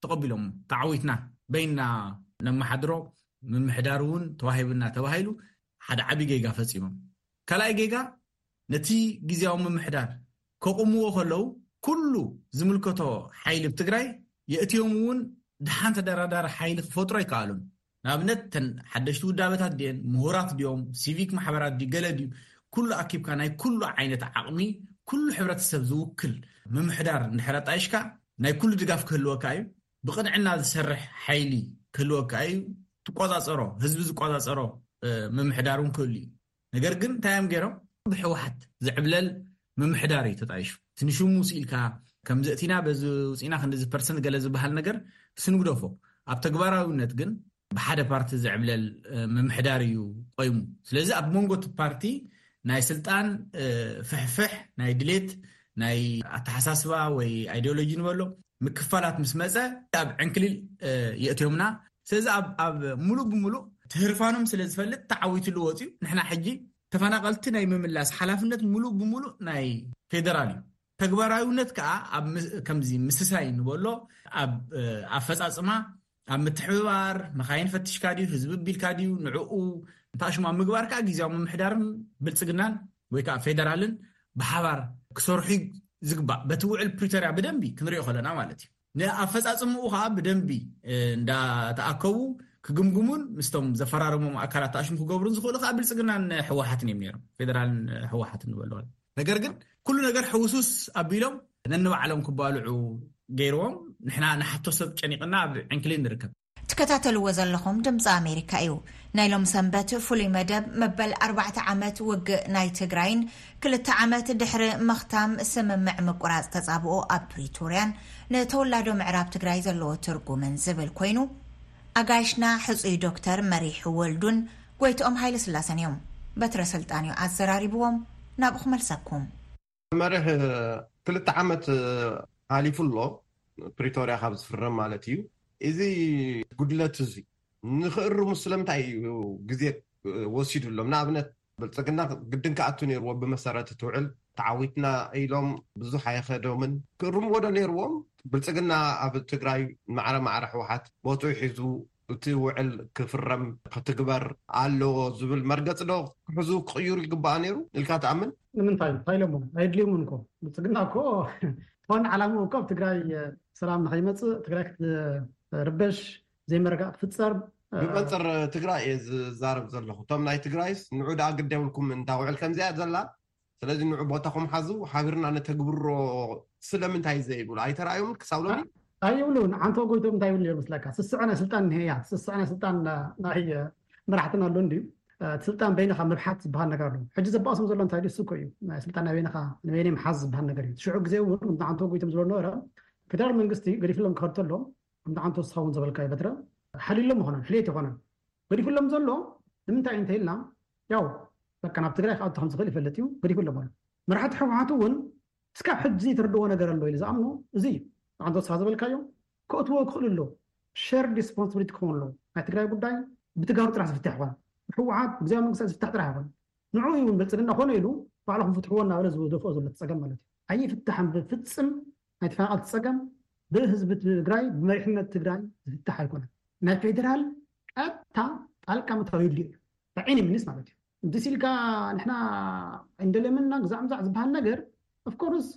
ተቐቢሎም ተዓዊትና በይንና ነመሓድሮ ምምሕዳር እውን ተዋሂብና ተባሂሉ ሓደ ዓብዪ ጌጋ ፈፂሞም። ካልኣይ ጌጋ ነቲ ግዜያዊ ምምሕዳር ከቑምዎ ከለዉ ኩሉ ዝምልከቶ ሓይሊ ኣብ ትግራይ የእትዮም እውን ደሓን ተደራዳሪ ሓይሊ ክፈጥሩ ኣይከኣሉን። ንኣብነት ተን ሓደሽቲ ውዳበታት ድየን ምሁራት ድዮም ሲቪክ ማሕበራት ድዩ ገለ ድዩ ኩሉ ኣኪብካ ናይ ኩሉ ዓይነት ዓቕሚ ኩሉ ሕብረተሰብ ዝውክል ምምሕዳር እንድሕር ኣጣይሽካ ናይ ኩሉ ድጋፍ ክህልወካ እዩ። ብቕንዕና ዝሰርሕ ሓይሊ ክህልወካ እዩ። ትቆፃፀሮ ህዝቢ ዝቆፃፀሮ ምምሕዳር እውን ክህሉ እዩ። ነገር ግን እንታይ እዮም ገይሮም? ብሕወሓት ዝዕብለል ምምሕዳር እዩ ተጣይሹ። እቲ ንሽሙ ስኢልካ ከምዚ እቲና በዚ ውፅኢና ክንዲዚ ፐርሰንት ገለ ዝበሃል ነገር ስንግደፎ። ኣብ ተግባራዊነት ግን ብሓደ ፓርቲ ዝዕብለል ምምሕዳር እዩ ቆይሙ። ስለዚ ኣብ መንጎ እቲ ፓርቲ ናይ ስልጣን ፍሕፍሕ ናይ ድሌት ናይ ኣተሓሳስባ ወይ ኣይዲዮሎጂ ንበሎ ምክፋላት ምስ መፀ ኣብ ዕንክሊል የእትዮምና። ስለዚ ኣብ ሙሉእ ብሙሉእ ትህርፋኖም ስለ ዝፈልጥ ተዓዊትሉ ወፅዩ። ንሕና ሕጂ ተፈናቐልቲ ናይ ምምላስ ሓላፍነት ሙሉእ ብሙሉእ ናይ ፌደራል እዩ። ተግባራዊነት ከዓ ከምዚ ምስሳይ ንበሎ ኣብ ኣፈፃፅማ ኣብ ምትሕብባር መኻይን ፈትሽካ ድዩ ህዝቢ ቢልካ ድዩ ንዕኡ እንታሽማ ምግባር ከዓ ግዜያዊ ምምሕዳርን ብልፅግናን ወይ ከዓ ፌደራልን ብሓባር ክሰርሑ ዝግባእ በቲ ውዕል ፕሪቶርያ ብደንቢ ክንሪኦ ከለና ማለት እዩ። ንኣፈፃፅምኡ ከዓ ብደንቢ እንዳተኣከቡ ክግምግሙን ምስቶም ዘፈራረሞም ኣካላት ተኣሽሙ ክገብሩን ዝኽእሉ ከዓ ብልፅግናን ህወሓትን እዮም ነይሮም። ፌደራልን ህወሓትን ንበሎ ነገር ግን ኩሉ ነገር ሕውሱስ ኣቢሎም ነንባዕሎም ክባልዑ ገይርዎም። ንሕና ንሓቶ ሰብ ጨኒቕና ኣብ ዕንክሊል ንርከብ። ትከታተልዎ ዘለኹም ድምፂ ኣሜሪካ እዩ። ናይ ሎም ሰንበት ፍሉይ መደብ መበል ኣርባዕተ ዓመት ውግእ ናይ ትግራይን ክልተ ዓመት ድሕሪ ምኽታም ስምምዕ ምቁራፅ ተፃብኦ ኣብ ፕሪቶርያን ንተወላዶ ምዕራብ ትግራይ ዘለዎ ትርጉምን ዝብል ኮይኑ ኣጋይሽና ሕፁይ ዶክተር መሪሕ ወልዱን ጎይትኦም ሃይለስላሰን እዮም። በትረ ስልጣን እዩ ኣዘራሪብዎም። ናብኡ ክመልሰኩም። መርሕ ክልተ ዓመት ሓሊፉ ኣሎ ፕሪቶርያ ካብ ዝፍረም ማለት እዩ። እዚ ጉድለት እዚ ንክእርሙ ስለምንታይ እዩ ግዜ ወሲዱ ኣሎ። ንኣብነት ብልፅግና ግድን ክኣቱ ነይርዎ። ብመሰረት እቲ ውዕል ተዓዊትና ኢሎም ብዙሕ ኣይኸዶምን። ክእርምዎ ዶ ነይርዎም? ብልፅግና ኣብ ትግራይ ማዕረ ማዕረ ህወሓት ቦትኡ ሒዙ እቲ ውዕል ክፍረም ክትግበር ኣለዎ ዝብል መርገፂ ዶ ክሕዙ ክቕይሩ ይግባኣ ነይሩ ኢልካ ትኣምን? ንምንታይ እንታይ ኢሎሞ? ኣይድልዮምን እኮ። ብልፅግና እኮ ዋና ዓላምኡ እኮ ኣብ ትግራይ ሰላም ንኸይመፅእ፣ ትግራይ ክትርበሽ፣ ዘይመረጋእ ክፍፀር። ብመንፅር ትግራይ እየ ዝዛረብ ዘለኹ። እቶም ናይ ትግራይስ ንዑ ደኣ ግድ የብልኩም፣ እንታ ውዕል ከምዚኣ ዘላ፣ ስለዚ ንዑ ቦታኹም ሓዙ፣ ሓቢርና ነተግብሮ ስለምንታይ ዘይብሉ ኣይተራእዩምን ክሳብ ሎሚ? ኣይብሉን። ዓንቶ ጎይቶም እንታይ ይብሉ ነይሩ መስለካ? ስስዐ ናይ ስልጣን እኒሀ እያ። ስስዐ ናይ ስልጣን ናይ መራሕትና ኣሎ እንድዩ። እቲ ስልጣን በይንኻ ምብሓት ዝበሃል ነገር ኣሎ። ሕጂ ዘባእሶም ዘሎ እንታይ ድዩ? እሱ እኮ እዩ። ናይ ስልጣን ናይ በይንኻ ንበይነይ ምሓዝ ዝበሃል ነገር እዩ። ሽዑ ግዜ እውን ከምቲ ዓንቶ ጎይቶም ዝብሎ ነበረ፣ ፌደራል መንግስቲ ገዲፍሎም ክኸድ ተሎ፣ ከምቲ ዓንቶ ንስኻ እውን ዝበልካዮ በትረ ሓልዩሎም ኣይኮነን፣ ሕልየት ኣይኮነን። ገዲፉሎም ዘሎ ንምንታይ እዩ እንተኢልና፣ ያው በቃ ናብ ትግራይ ክኣቱ ከም ዝኽእል ይፈልጥ እዩ፣ ገዲፉሎም ኣሎ። መራሕቲ ህወሓት እውን እስካብ ሕጂ ዘይተረድዎ ነገር ኣሎ ኢሉ ዝኣምኖ እዚ እዩ። ዓንቶ ንስኻ ዝበልካዮ ከእትዎ ክኽእሉ ኣሎ። ሸርድ ሪስፖንስብሊቲ ክኸውን ኣለዎ። ናይ ትግራይ ጉዳይ ብትጋሩ ጥራሕ ዝፍታሕ ይኾን፣ ብህወሓት ብግዜያዊ መንግስቲ ዝፍታሕ ጥራሕ ይኾን። ንዑ እውን ብልፅግና ኮነ ኢሉ ባዕልኹም ፍትሕዎ እናበለ ዝደፍኦ ዘሎ እቲ ፀገም ማለት እዩ። ኣይፍታሕን ብፍፅም። ናይ ተፈናቐልቲ ፀገም ብህዝቢ ትግራይ ብመሪሕነት ትግራይ ዝፍታሕ ኣይኮነን። ናይ ፌዴራል ቀጥታ ጣልቃ ምእታው የድልዮ እዩ። ብዓይኒ ምንስ ማለት እዩ። እንድስ ኢልካ ንሕና እንደልየምና ግዛዕ ምዛዕ ዝበሃል ነገር ኦፍኮርስ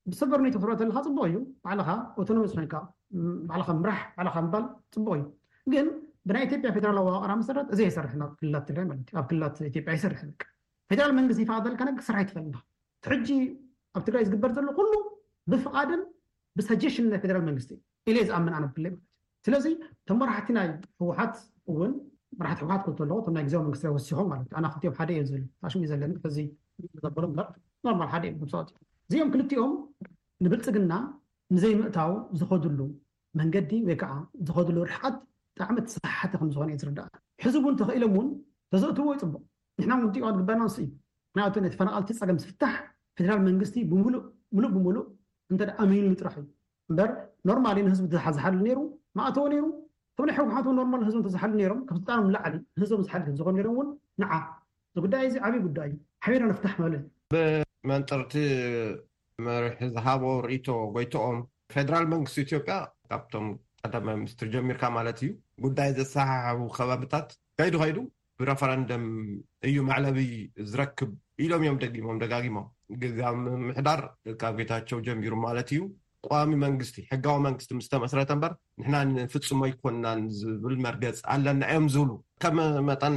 ብሰበር ኔቶ ክትረኦ ተለካ ፅቡቅ እዩ። ባዕልኻ ኦቶኖመስ ኮይንካ ም፣ ባዕልኻ ምራሕ፣ ባዕልኻ ምባል ፅቡቅ እዩ። ግን ብናይ ኢትዮጵያ ፌደራላዊ ኣዋቅራ መሰረት እዚ ኣይሰርሕን። ኣብ ክልላት ትግራይ ማለት እዩ፣ ኣብ ክልላት ኢትዮጵያ ኣይሰርሕን። በቃ ፌደራል መንግስቲ ይፈቅደልካ ነገር ክስራሕ ኣይትኽእልን ኢኻ። ሕጂ ኣብ ትግራይ ዝግበር ዘሎ ኩሉ ብፍቃድን ብሰጀሽን ናይ ፌደራል መንግስቲ ኢለ ዝኣምን ኣነ ብለይ ማለት እዩ። ስለዚ እቶም መራሕቲ ናይ ህወሓት እውን መራሕቲ ህወሓት ክልተ ኣለዎ፣ እቶም ናይ ግዜያዊ መንግስቲ ወሲኾም ማለት እዩ። ኣና ክልቲኦም ሓደ እዮም ዝብል ኣሽሙ እዩ ዘለኒ። ሕዚ ዘበሎ እምበር ኖርማል ሓደ እዮም። እዚኦም ክልቲኦም ንብልፅግና ንዘይምእታው ዝኸድሉ መንገዲ ወይ ከዓ ዝኸድሉ ርሕቀት ብጣዕሚ ተሰሓሓቲ ከም ዝኾነ እዩ ዝርዳእ። ሕዚ እውን ተኽኢሎም እውን ተዘእትዎ ይፅቡቅ። ንሕና እውን ጥቃ ግበርና ንሱ እዩ። ምክንያቱ ናይ ተፈናቀልቲ ፀገም ዝፍታሕ ፌደራል መንግስቲ ብምሉእ፣ ምሉእ ብምሉእ እንተ ኣሚኑሉ ጥራሕ እዩ። እምበር ኖርማሊ ንህዝቢ ዝሓ-፣ ዝሓሉ ነይሩ፣ ማእተወ ነይሩ። እቶም ናይ ህወሓት እውን ኖርማል ህዝቦም ተዝሓሉ ነይሮም፣ ካብ ስልጣኖም ንላዕሊ ንህዝቦም ዝሓሉ ዝኾኑ ነይሮም እውን ንዓ እዚ ጉዳይ እዚ ዓብዪ ጉዳይ እዩ፣ ሓቢርና ንፍታሕ ማለት እዩ። ብመንፅርቲ መርሒ ዝሃቦ ርእይቶ ጎይትኦም፣ ፌደራል መንግስቲ ኢትዮጵያ ካብቶም ቀዳማይ ሚኒስትር ጀሚርካ ማለት እዩ ጉዳይ ዘሰሓሓቡ ከባብታት ከይዱ ከይዱ ብረፈረንደም እዩ መዕለቢ ዝረክብ ኢሎም እዮም ደጊሞም ደጋጊሞም። ግዝያዊ ምምሕዳር ካብ ጌታቸው ጀሚሩ ማለት እዩ ቋሚ መንግስቲ፣ ሕጋዊ መንግስቲ ምስ ተመስረተ እምበር ንሕና ንፍጽሞ ኣይኮንናን ዝብል መርገጽ ኣለና እዮም ዝብሉ። ከም መጠን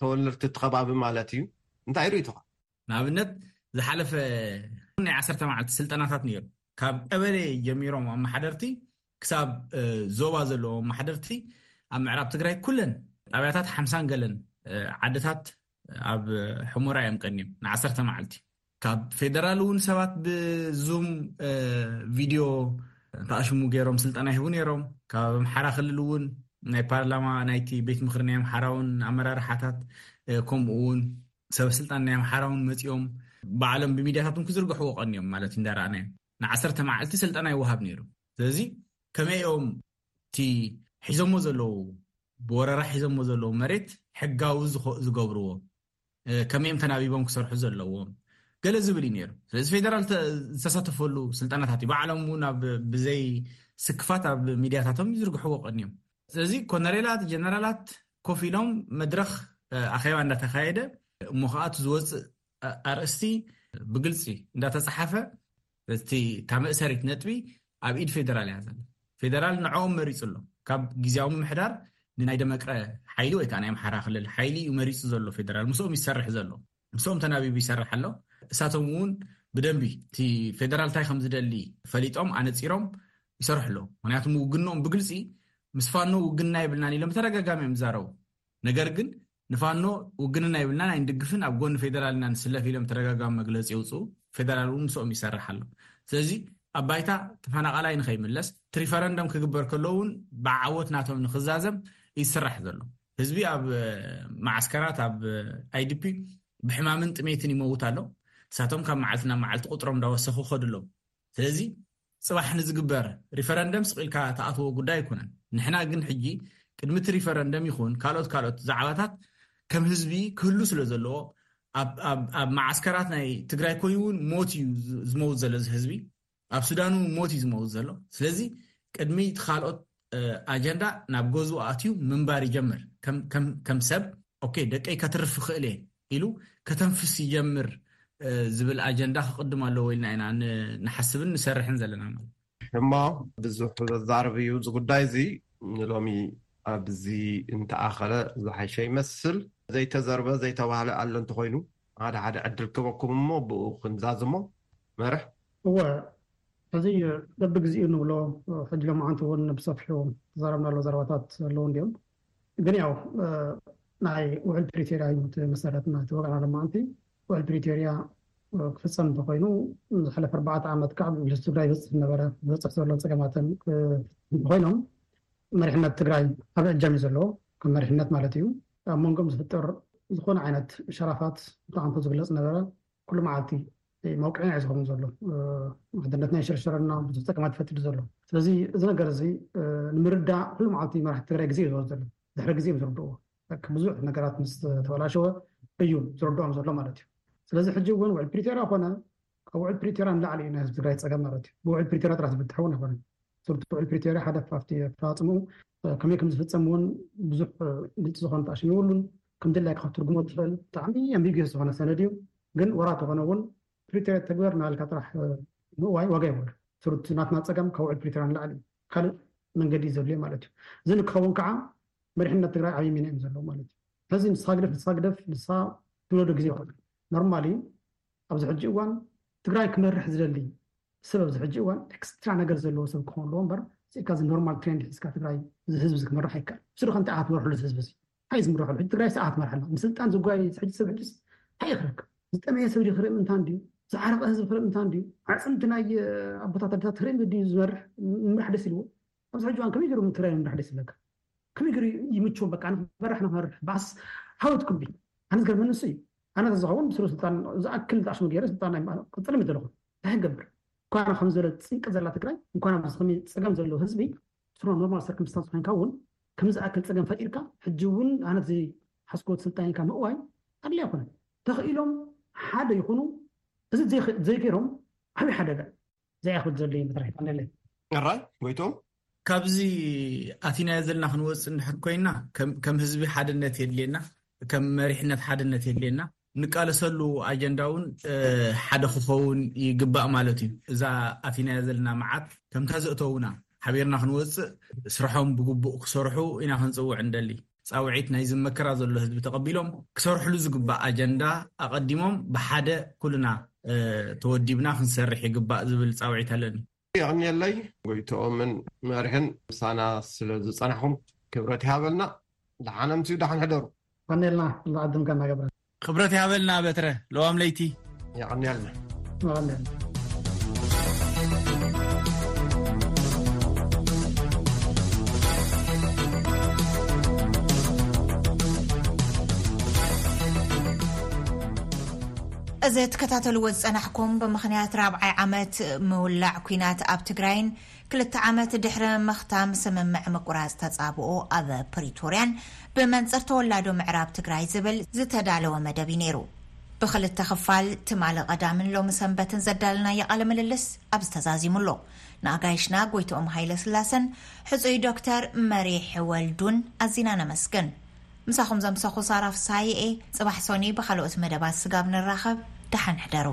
ተወለድቲ እቲ ከባቢ ማለት እዩ። እንታይ ርእይቶኻ? ንኣብነት ዝሓለፈ ናይ ዓሰርተ መዓልቲ ስልጠናታት ነይሩ። ካብ ቀበሌ ጀሚሮም ኣመሓደርቲ ክሳብ እ፣ ዞባ ዘለዎም ኣመሓደርቲ ኣብ ምዕራብ ትግራይ ኩለን ጣብያታት ሓምሳን ገለን እ፣ ዓድታት ኣብ ሕሞራ እዮም ቀንዮም ንዓሰርተ መዓልቲ። ካብ ፌደራል እውን ሰባት ብዙም እ፣ ቪድዮ ተኣሽሙ ገይሮም ስልጠና ይህቡ ነይሮም። ካብ ኣምሓራ ክልል እውን ናይ ፓርላማ ናይቲ ቤት ምክሪ ናይ ኣምሓራ እውን ኣመራርሓታት እ፣ ከምኡ እውን ሰብ ስልጣን ናይ ኣምሓራ እውን መፂኦም ባዕሎም ብሚድያታት እውን ክዝርግሕዎ ቀንዮም ማለት እንዳረኣናዮም ንዓሰርተ መዓልቲ ስልጠና ይወሃብ ነይሩ። ስለዚ ከመይ እዮም እቲ ሒዞሞ ዘለዉ ብወረራ ሒዞሞ ዘለዉ መሬት ሕጋዊ ዝኸ- ዝገብርዎ እ፣ ከመይ እዮም ተናቢቦም ክሰርሑ ዘለዎም ገለ ዝብል እዩ ነይሩ። ስለዚ ፌደራል ተ- ዝተሳተፈሉ ስልጠናታት እዩ። ባዕሎም እውን ኣብ ብዘይ ስክፋት ኣብ ሚድያታቶም ይዝርግሕዎ ቀንዮም። ስለዚ ኮነሬላት ጀነራላት ኮፍ ኢሎም መድረኽ እ፣ ኣኼባ እንዳተኻየደ እሞ ከዓ እቲ ዝወፅእ እ፣ ኣርእስቲ ብግልፂ እንዳተፃሓፈ እቲ እታ መእሰሪት ነጥቢ ኣብ ኢድ ፌደራል እያ ዘላ። ፌደራል ንዕኦም መሪፁ ኣሎ። ካብ ግዜያዊ ምምሕዳር ንናይ ደመቅረ ሓይሊ ወይ ከዓ ናይ ኣምሓራ ክልል ሓይሊ እዩ መሪፁ ዘሎ ፌደራል። ምስኦም ይሰርሕ ዘሎ። ምስኦም ተናቢቡ ይሰርሕ ኣሎ። እሳቶም እውን ብደንቢ እቲ ፌደራል እንታይ ከም ዝደሊ ፈሊጦም ኣነፂሮም ይሰርሑ ኣለዉ። ምክንያቱ ውግንኦም ብግልፂ ምስ ፋኖ ውግና የብልናን ኢሎም ተደጋጋሚ እዮም ዝዛረቡ። ነገር ግን ንፋኖ ውግንና የብልናን ኣይንድግፍን ኣብ ጎኒ ፌደራል ኢና ንስለፍ ኢሎም ተደጋጋሚ መግለፂ የውፅኡ። ፌደራል እውን ምስኦም ይሰርሕ ኣሎ። ስለዚ ኣብ ባይታ ተፈናቃላይ ንኸይምለስ እቲ ሪፈረንደም ክግበር ከሎ እውን ብዓወት ናቶም ንክዛዘም ይስራሕ ዘሎ። ህዝቢ ኣብ እ፣ መዓስከራት ኣብ ኣይዲፒ ብሕማምን ጥሜትን ይመውት ኣሎ። እሳቶም ካብ መዓልቲ ናብ መዓልቲ ቁጥሮም እንዳወሰኹ ከዱ ኣለዉ። ስለዚ ፅባሕ ንዝግበር ሪፈረንደም ስቕ ኢልካ ተኣትዎ ጉዳይ ኣይኮነን። ንሕና ግን ሕጂ ቅድሚ እቲ ሪፈረንደም ይኹን ካልኦት ካልኦት ዛዕባታት ከም ህዝቢ ክህሉ ስለ ዘለዎ፣ ኣብ- ኣብ ኣብ መዓስከራት ናይ ትግራይ ኮይኑ እውን ሞት እዩ ዝ- ዝመውት ዘሎ እዚ ህዝቢ። ኣብ ሱዳን እውን ሞት እዩ ዝመውት ዘሎ። ስለዚ ቅድሚ እቲ ካልኦት እ፣ ኣጀንዳ ናብ ገዝኡ ኣትዩ ምንባር ይጀምር። ከም- ከም- ከም ሰብ፣ ኦኬ፣ ደቀይ ከትርፍ ይኽእል እየ ኢሉ ከተንፍስ ይጀምር፣ እ፣ ዝብል ኣጀንዳ ክቕድም ኣለዎ ኢልና ኢና ን- ንሓስብን ንሰርሕን ዘለና ማለት። እሞ ብዙሕ ዘዛርብ እዩ እዚ ጉዳይ እዚ። ንሎሚ ኣብዚ እንተኣኸለ ዝሓሸ ይመስል። ዘይተዘርበ ዘይተባህለ ኣሎ እንተኾይኑ ሓደ ሓደ ዕድል ክበኩም እሞ ብኡ ክንዛዝሞ። መርሕ። እወ፣ እዚ በብግዚኡ ንብሎ፣ ሕጂ ሎማዓንቲ እውን ብሰፊሑ ተዛረብናሉ ዘረባታት ኣለዉ እንዲዮም። ግን ያው ናይ ውዕል ፕሪቶርያ እዩ እቲ መሰረት ናይቲ ወገና ሎማዓንቲ። ውዕል ፕሪቶርያ ክፍፀም እንተኮይኑ፣ ዝሓለፈ ኣርባዕተ ዓመት ከዓ ምስ ትግራይ ይበፅሕ ዝነበረ፣ ዝበፅሕ ዘሎ ፀገማትን እንተኮይኖም፣ መሪሕነት ትግራይ ኣብ እጃም እዩ ዘለዎ። ከም መሪሕነት ማለት እዩ። ኣብ መንጎም ዝፍጠር ዝኾነ ዓይነት ሸራፋት ብጣዕሚ ዝግለፅ ነበረ። ኩሉ መዓልቲ መውቅዒ ናይ ዝኸውን ዘሎ፣ ሓድነትና ይሽርሸረና፣ ብዙሕ ፀገማት ይፈጥር ዘሎ። ስለዚ እዚ ነገር እዚ ንምርዳእ ኩሉ መዓልቲ መራሕቲ ትግራይ ግዜ እዩ ዝወስድ ዘሎ። ድሕሪ ግዜ እዮም ዝርድእዎ። ብዙሕ ነገራት ምስ ተበላሸወ እዩ ዝርድኦም ዘሎ ማለት እዩ። ስለዚ ሕጂ እውን ውዕል ፕሪቶርያ ኮነ፣ ካብ ውዕል ፕሪቶርያ ንላዕሊ እዩ ናይ ህዝቢ ትግራይ ፀገም ማለት እዩ። ብውዕል ፕሪቶርያ ጥራሕ ዝፍትሕ እውን ኣይኮነን። ስርቱ ውዕል ፕሪቶርያ ሓደ ኣብቲ ኣፈፃፅምኡ ከመይ ከም ዝፍፀም እውን ብዙሕ ግልፂ ዝኾነ ተኣሽም የብሉን። ከም ድላይካ ክትትርጉሞ ትኽእል ብጣዕሚ ኣምቢጊየስ ዝኾነ ሰነድ እዩ። ግን ወራ ተኾነ እውን ፕሪቶርያ ተግበር እናበልካ ጥራሕ ምእዋይ ዋጋ የብሉ። ስርቱ ናትና ፀገም ካብ ውዕል ፕሪቶርያ ንላዕሊ እዩ። ካልእ መንገዲ እዩ ዘድልዮ ማለት እዩ። እዚ ንክኸውን ከዓ መሪሕነት ትግራይ ዓብዪ ሚና እዮም ዘለዎ ማለት እዩ። ሕዚ ንስኻ ግደፍ ንስኻ ግደፍ ንስኻ ትብለዶ ግዜ ይኮነ። ኖርማሊ ኣብዚ ሕጂ እዋን ትግራይ ክመርሕ ዝደሊ ሰብ ኣብዚ ሕጂ እዋን ኤክስትራ ነገር ዘለዎ ሰብ ክኸውን ኣለዎ እምበር፣ ስኢካ እዚ ኖርማል ትሬንድ ሒዝካ ትግራይ እዚ ህዝቢ እዚ ክመርሕ ኣይከኣል። ብስሩ ከምቲ ኣትመርሕሉ እዚ ህዝቢ እዚ ኣይ ዝምርሕሉ ሕጂ ትግራይ ሰዓት መርሓልና ምስልጣን ዝጓይ ሕጂ ሰብ ሕጂስ እንታይ ክረክብ? ዝጠመየ ሰብ ክርኢ ምንታን ድዩ? ዝዓረቀ ህዝቢ ክርኢ ምንታን ድዩ? ኣዕፅምቲ ናይ ኣቦታት ኣደታት ክርኢ ድዩ ዝመርሕ? ምምራሕ ደስ ኢልዎ? ኣብዚ ሕጂ እዋን ከመይ ገይሩ ትግራይ ምምራሕ ደስ ይብለካ? ከመይ ገይሩ ይምችዎም? በቃ ንክመርሕ ንክመርሕ ባስ ሃወት ኩቢ ኣነ ዝገርመኒ ንሱ እዩ። ኣነ ተዝኸውን ብስሩ ስልጣን ዝኣክል ዝኣሽሙ ገይረ ስልጣን ናይ ቅፅል ምደለኹ እንታይ ክገብር? እንኳን ከም ዝበለ ፅንቂ ዘላ ትግራይ እንኳን ኣብዚ ከመይ ፀገም ዘለዎ ህዝቢ ስሮ ኖርማል ሰርክምስታንስ ኮይንካ እውን ከም ዝኣክል ፀገም ፈጢርካ ሕጂ እውን ኣነ ዝሓስኮት ስልጣን ኢልካ ምእዋይ ኣድላይ ኣይኮነን። ተኽኢሎም ሓደ ይኹኑ። እዚ ዘይገይሮም ዓብዪ ሓደጋ ዘይኣኽል ዘሎ እዩ ምትራይ። ኣራይ ጎይቶም ካብዚ ኣቲናዮ ዘለና ክንወፅእ እንድሕር ኮይና ከም ህዝቢ ሓድነት የድልየና፣ ከም መሪሕነት ሓድነት የድልየና። ንቃለሰሉ ኣጀንዳ እውን ሓደ ክኸውን ይግባእ ማለት እዩ። እዛ ኣቲናዮ ዘለና መዓት ከምታ ዘእተውና ሓቢርና ክንወፅእ ስርሖም ብግቡእ ክሰርሑ ኢና ክንፅውዕ እንደሊ። ፃውዒት ናይ ዝመከራ ዘሎ ህዝቢ ተቐቢሎም ክሰርሕሉ ዝግባእ ኣጀንዳ ኣቐዲሞም ብሓደ ኩልና ተወዲብና ክንሰርሕ ይግባእ ዝብል ፃውዒት ኣለኒ። የቐንየለይ ጎይትኦምን መርሕን ምሳና ስለ ዝፀናሕኹም ክብረት ይሃበልና። ደሓን ኣምስዩ ደሓን ሕደሩ። ቀንየልና። ዝዓድምካ እናገብረ ክብረት ይሃበልና በትረ ለዋም ለይቲ። የቐንየልና። እዚ ትከታተልዎ ዝጸናሕኩም ብምኽንያት ራብዓይ ዓመት ምውላዕ ኲናት ኣብ ትግራይን ክልተ ዓመት ድሕሪ ምኽታም ስምምዕ ምቁራጽ ተጻብኦ ኣብ ፕሪቶርያን ብመንጽር ተወላዶ ምዕራብ ትግራይ ዝብል ዝተዳለወ መደብ እዩ ነይሩ። ብኽልተ ክፋል ትማሊ ቀዳምን ሎሚ ሰንበትን ዘዳለናዮ ቃለ ምልልስ ኣብዚ ተዛዚሙ ኣሎ። ንኣጋይሽና ጎይትኦም ሃይለ ስላሰን ሕጹይ ዶክተር መሪሕ ወልዱን ኣዚና ነመስግን። ምሳኹም ዘምሰኹ ሳራ ፍሳሐ እየ። ጽባሕ ሶኒ ብኻልኦት መደባት ስጋብ ንራኸብ ደሓን ሕደሩ።